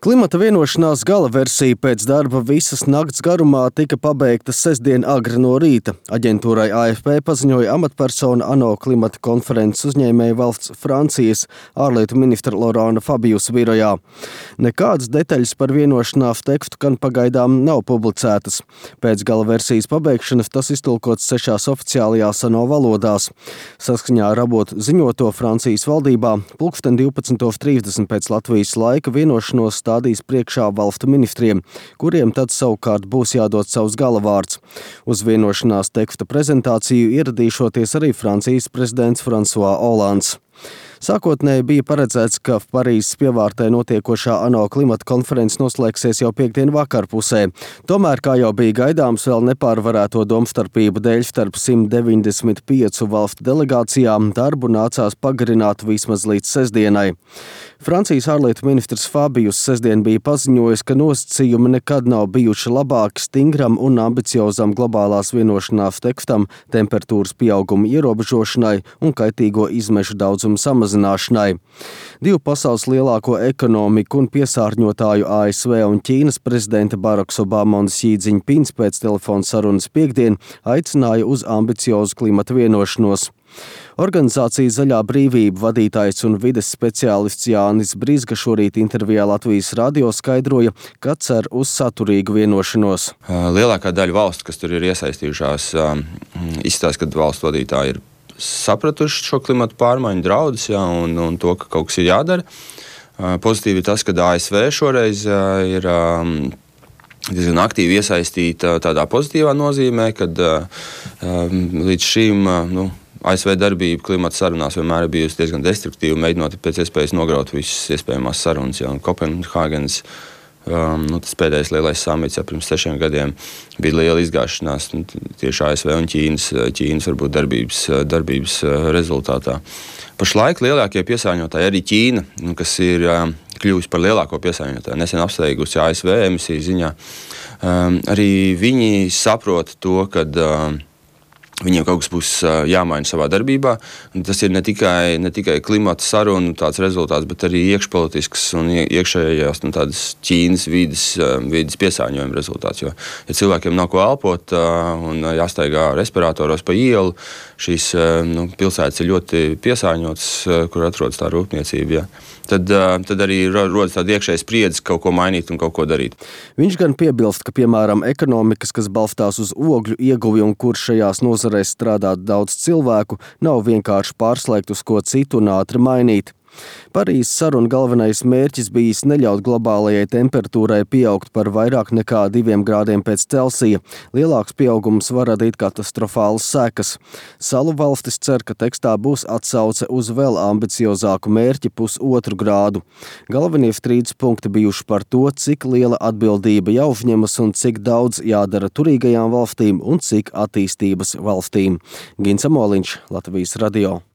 Klimata vienošanās gala versija pēc darba visas nakts garumā tika pabeigta sestdien agri no rīta. Aģentūrai AFP paziņoja amatpersona ANO klimata konferences uzņēmēja valsts Francijas ārlietu ministra Laurana Fabiusa birojā. Nekādas detaļas par vienošanās tekstu gan pagaidām nav publicētas. Pēc gala versijas pabeigšanas tas iztulkots 6 oficiālajās ANO valodās. Saskaņā ar avotu ziņoto Francijas valdībā pulksten 12:30 pēc Latvijas laika vienošanos stādīs priekšā valstu ministriem, kuriem tad savukārt būs jādod savs galavārds. Uz vienošanās teksta prezentāciju ieradīšoties arī Francijas prezidents François Hollands. Sākotnēji bija paredzēts, ka Parīzes pievārtē notiekošā ANO klimata konferences noslēgsies jau piekdien vakarpusē. Tomēr, kā jau bija gaidāms, vēl nepārvarēto domstarpību dēļ starp 195 valstu delegācijām darbu nācās pagarināt vismaz līdz sestdienai. Francijas ārlietu ministrs Fabius sestdien bija paziņojis, ka nosacījumi nekad nav bijuši labāki stingram un ambiciozam globālās vienošanās tekstam, temperatūras pieauguma ierobežošanai un kaitīgo izmešu daudzumu samazināšanai. Divu pasaules lielāko ekonomiku un piesārņotāju ASV un Ķīnas prezidenta Baraks Obama un Xi Jinpings pēc telefona sarunas piekdien aicināja uz ambiciozu klimata vienošanos. Organizācijas Zaļā brīvība vadītājs un vides speciālists Jānis Brizga šorīt intervijā Latvijas radio skaidroja, ka cer uz saturīgu vienošanos. Lielākā daļa valstu, kas tur ir iesaistījušās, izstāsta, ka valstu vadītāji ir sapratuši šo klimatu pārmaiņu draudus un to, ka kaut kas ir jādara. Pozitīvi ir tas, ka ASV šoreiz ir diezgan aktīvi iesaistīta tādā pozitīvā nozīmē, kad līdz šim ASV darbība klimata sarunās vienmēr ir bijusi diezgan destruktīva, mēģinot pēc iespējas nograut visas iespējamās sarunas. Kopenhāgenes, tas pēdējais lielais samits pirms 6 gadiem bija liela izgāšanās tieši ASV un Ķīnas varbūt darbības rezultātā. Pašlaik lielākie piesārņotāji arī Ķīna, kas ir kļuvusi par lielāko piesārņotāju, nesen apsteigusi ASV emisiju ziņā. Arī viņi saprot to, ka viņiem kaut kas būs jāmaina savā darbībā. Un tas ir ne tikai klimata sarunu tāds rezultāts, bet arī iekšpolitisks un iekšējās tādas Ķīnas vides piesārņojuma rezultāts. Jo, ja cilvēkiem nav ko elpot un jāstaigā respiratoros pa ielu, šīs pilsētas ir ļoti piesārņotas, kur atrodas tā rūpniecība. Tad arī rodas tāda iekšēja spriedze kaut ko mainīt un kaut ko darīt. Viņš gan piebilst, ka, piemēram, ekonomikas, kas balstās uz ogļu ieguvi un kur šajās nozarēs strādā daudz cilvēku, nav vienkārši pārslēgt uz ko citu un ātri mainīt. Parīzes saruna galvenais mērķis bijis neļaut globālajai temperatūrai pieaugt par vairāk nekā 2 grādiem pēc Celsija. Lielāks pieaugums var radīt katastrofālas sekas. Salu valstis cer, ka tekstā būs atsauce uz vēl ambiciozāku mērķi +1 grādu. Galvenie strīdus punkti bijuši par to, cik liela atbildība jāuzņemas un cik daudz jādara turīgajām valstīm un cik attīstības valstīm. Gins Amoliņš, Latvijas radio.